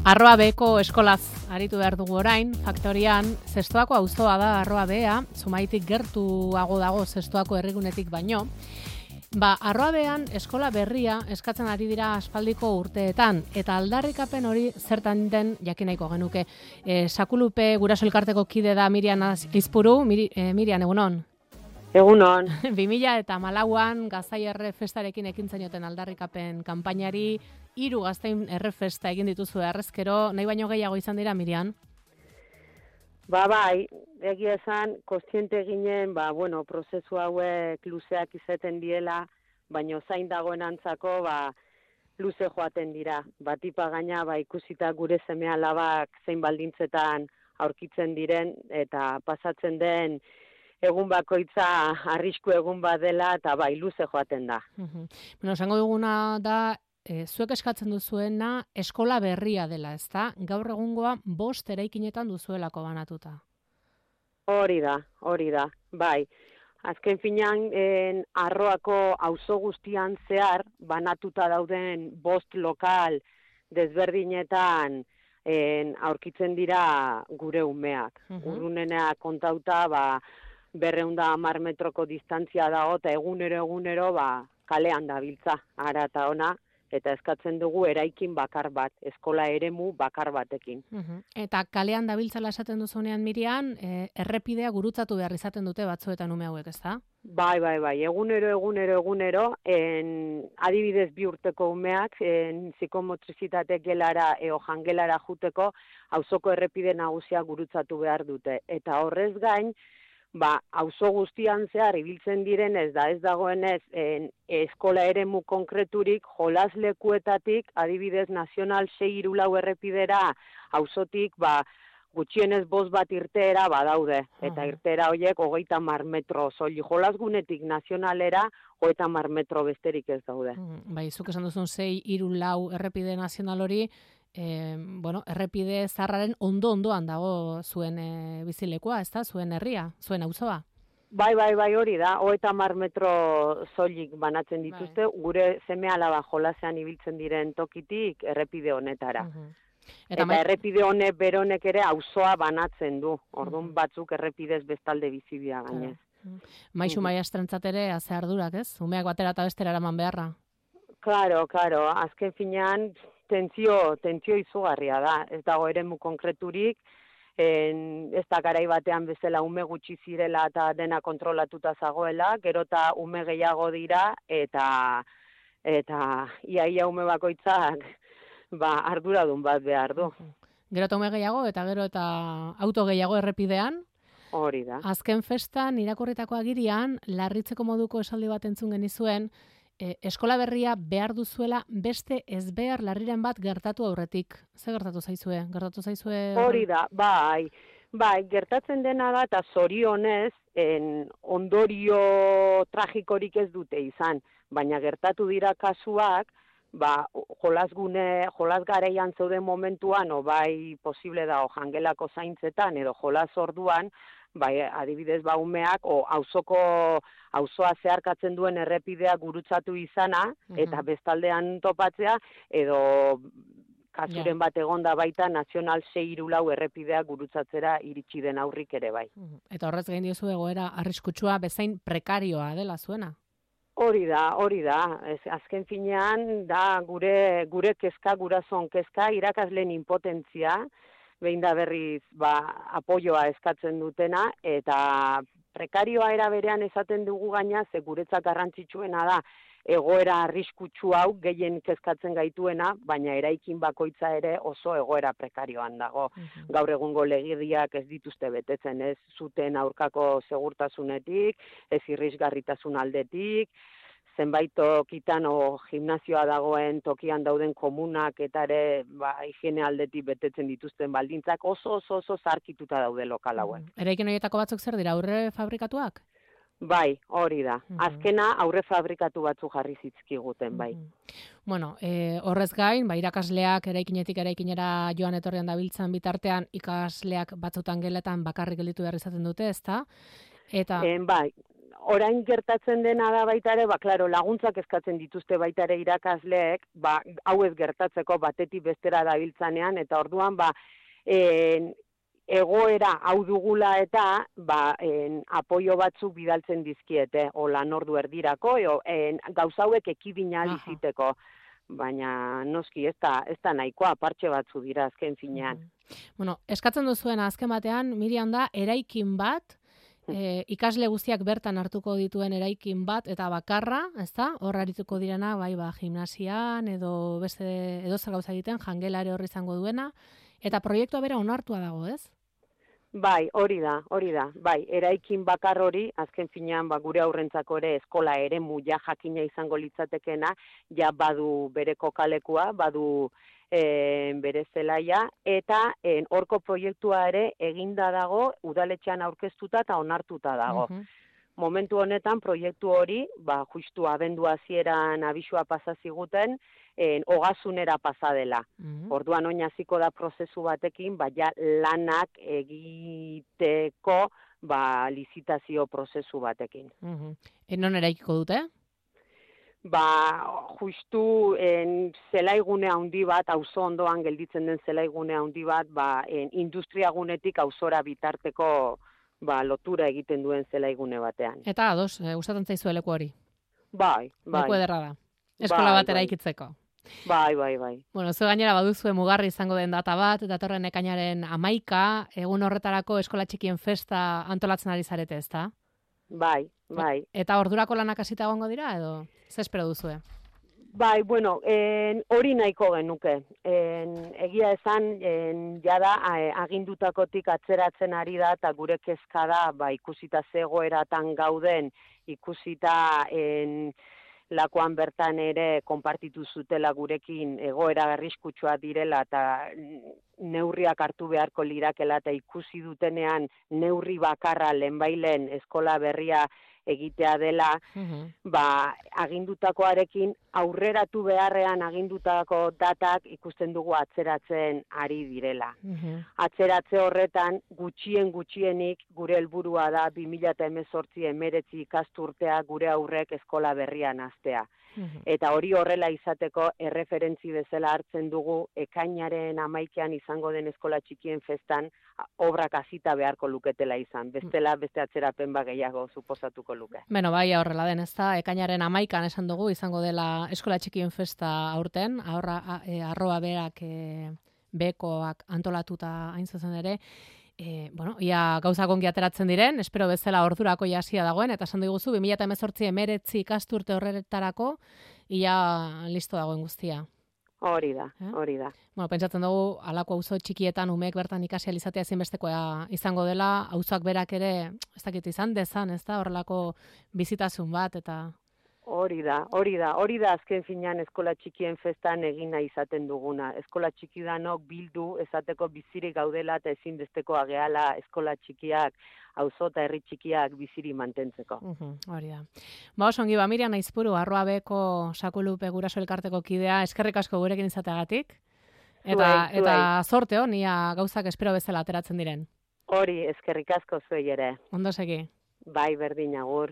Arroa Beko eskolaz aritu behar dugu orain, faktorian, Zestoako auzoa da Arroa Bea, Zumaitik gertuago dago Zestoako herrigunetik baino. Arroa Bean eskola berria eskatzen ari dira aspaldiko urteetan, eta aldarrikapen hori zertan den jakin nahiko genuke. Sakulupe guraso elkarteko kide da Mirian Izpuru, Mirian, egunon? Egunon. 2014an Gaztai Errefestarekin ekin zenioten aldarrikapen kanpainari, 3 Gaztain Errefesta egin dituzu errezkero, nahi baino gehiago izan dira, Mirian? Bai, egia esan, kontziente ginen, prozesu hauek luzeak izaten diela, baino zain dagoen antzako, luze joaten dira. Tipa gaina, ikusita gure seme-alabak zein baldintzetan aurkitzen diren, eta pasatzen den egun bakoitza arrisku egun bat dela, eta luze joaten da. Esango duguna da, zuek eskatzen duzuena eskola berria dela, ezta? Gaur egungoa 5 eraikinetan duzuelako banatuta. Hori da, bai. Azken finean, Arroako auzo guztian zehar, banatuta dauden 5 lokal desberdinetan aurkitzen dira gure umeak. Urrunena kontauta, 210 metroko distantzia dago, eta egunero kalean dabiltza, ara eta ona, eta eskatzen dugu eraikin bakar bat, eskola eremu bakar batekin. Eta kalean dabiltzala esaten duzunean, Mirian, errepidea gurutzatu behar izaten dute batzuetan ume hauek, ezta? Bai, egunero, adibidez 2 urteko umeak, psikomotrizitate gelara eo jangelara juteko, auzoko errepide nagusia gurutzatu behar dute. Eta horrez gain, auzo guztian zehar ibiltzen direnez da ez dagoenez eskola eremu konkreturik jolaslekuetatik, adibidez nazional 634 errepidera auzotik gutxienez 5 bat irteera badaude. Eta irteera horiek 30 metro soilik jolasgunetik nazionalera 30 metro besterik ez daude. Zuk esan duzun 634 errepide nazional hori, errepide zaharraren ondoan dago zuen bizilekua, ezta? Zuen herria, zuen auzoa. Bai, hori da, 30 metro soilik banatzen dituzte, gure seme-alaba jolasean ibiltzen diren tokitik errepide honetara. Eta errepide honek beronek ere auzoa banatzen du, orduan batzuk errepidez bestalde bizibia gainez. Maisu maistrantzat ere haze ardurak, ez? Umeak batera eta bestera eraman beharra. Claro, azken finean tentsio izugarria da, ez dago eremu konkreturik, ez da garai batean bezala ume gutxi zirela eta dena kontrolatuta zagoela, gero eta ume gehiago dira, eta ia ume bakoitzak arduradun bat behar du. Gero eta ume gehiago eta gero eta auto gehiago errepidean. Hori da. Azken festan irakurritako agirian, larritzeko moduko esaldi bat entzun genizuen, eskola berria behar duzuela beste ezbehar larriren bat gertatu aurretik. Ze gertatu zaizue? Hori da, bai, gertatzen dena da, eta zorionez, ondorio tragikorik ez dute izan, baina gertatu dira kasuak, jolas gareian zeuden momentuan, posible da, jangelako zaintzetan, edo jolas orduan, adibidez umeak, auzoa zeharkatzen duen errepidea gurutzatu izana, eta bestaldean topatzea, edo kasuren bat egonda baita nazional 634 errepidea gurutzatzera iritsi den aurrik ere bai. Eta horrez gain diozu egoera arriskutsua bezain prekarioa dela zuena? Hori da. Azken finean da gure kezka, gurasoen kezka, irakasleen impotentzia, behin da berriz apoioa eskatzen dutena, eta prekarioa era berean esaten dugu gaina, ze guretzat garrantzitsuena da, egoera arriskutsu hau gehien kezkatzen gaituena, baina eraikin bakoitza ere oso egoera prekarioan dago. Gaur egungo legediak ez dituzte betetzen, ez zuten aurkako segurtasunetik, ez irrisgarritasun aldetik, zenbait tokitan gimnasioa dagoen tokian dauden komunak eta ere higiene aldetik betetzen dituzten baldintzak oso zarkituta daude lokal hauek. Eraikin horietako batzuk zer dira, aurre fabrikatuak? Bai, hori da. Azkena aurre fabrikatu batzu jarri zitzkiguten, bai. Horrez gain, irakasleak eraikinetik eraikinera joan etorrian dabiltzan bitartean, ikasleak batzutan geletan bakarrik gelditu behar izaten dute, ezta? Bai, orain gertatzen dena da baita ere, klaro, laguntzak eskatzen dituzte baita ere irakasleek, hau ez gertatzeko batetik bestera dabiltzanean, eta orduan, egoera hau dugula eta, apoio batzuk bidaltzen dizkiete, o lanordu erdirako, gauza hauek ekibina biziteko. Baina noski ez da nahikoa, partxe batzu dira azken finean. Bueno, eskatzen duzuen azken batean, Miriam, da eraikin bat, ikasle guztiak bertan hartuko dituen eraikin bat eta bakarra, ezta? Hor arituko direna, gimnasian edo beste edozer gauza egiten, jangelare horri izango duena, eta proiektua bera onartua dago, ez? Bai, hori da. Bai, eraikin bakar hori, azken finean gure aurrentzako ere eskola eremu jakina izango litzatekena, badu bere kokalekua, badu bere zelaia, eta horko proiektua ere eginda dago, udaletxean aurkeztuta eta onartuta dago. Momentu honetan proiektu hori, justu abendu hasieran abisua pasa ziguten, ogasunera pasa dela. Orduan oin hasiko da prozesu batekin, lanak egiteko lizitazio prozesu batekin. Non eraikiko dute? Justu zelaigune handi bat, auzo ondoan gelditzen den zelaigune handi bat, industriagunetik auzora bitarteko lotura egiten duen zelaigune batean. Eta ados, gustatzen zaizu leku hori? Bai. Leku ederra da. Eskola bat eraikitzeko. Bai. Bueno, zu gainera baduzue mugarri izango den data bat, datorren ekainaren 11, egun horretarako eskola txikien festa antolatzen ari zarete, ezta? Bai. Eta ordurako lanak hasita egongo dira, edo ze espero duzue? Bai, bueno, hori nahiko genuke. Egia esan, jada agindutakotik atzeratzen ari da, eta gure kezka da, ikusita zegoeratan gauden, ikusita lakoan bertan ere konpartitu zutela gurekin egoera arriskutsua direla eta neurriak hartu beharko lirakela eta ikusi dutenean neurri bakarra lehenbailen eskola berria egitea dela, agindutakoarekin aurreratu beharrean agindutako datak ikusten dugu atzeratzen ari direla. Atzeratze horretan gutxienik gure helburua da 2018-19 ikasturtea gure aurrek eskola berrian hastea. Eta hori horrela izateko erreferentzi bezala hartzen dugu ekainaren 11 izango den eskola txikien festan obrak hasita beharko luketela izan. Bestela beste atzerapen gehiago suposatuko luke. Beno, bai, horrela den, ezta? Ekainaren 11 esan dugu izango dela eskola txikien festa aurten, arroa berak bekoak antolatuta hain zuzen ere. Ia gauzak ongi ateratzen diren, espero bezala ordurako jasia dagoen, eta esan diguzu, 2018-19 ikasturte horretarako, ia listo dagoen guztia. Hori da. Bueno, pentsatzen dugu, halako auzo txikietan umeek bertan ikasi alizatea ezinbestekoa izango dela, auzok berak ere, ez dakit izan dezan, ez da, horrelako bizitasun bat, eta... Hori da azken finean eskola txikien festan egina izaten duguna. Eskola txikidanok bildu esateko bizirik gaudela eta ezinbestekoa gehala eskola txikiak, auzo eta herri txikiak biziri mantentzeko. Hori da. Oso ongi, Miriam Aizpuru, Arroabeko Sakulupe Guraso Elkarteko kidea, eskerrik asko gurekin izateagatik. Eta zorte hon, ia gauzak espero bezala ateratzen diren. Hori, eskerrik asko zuei ere. Ondo segi. Bai, berdin, agur.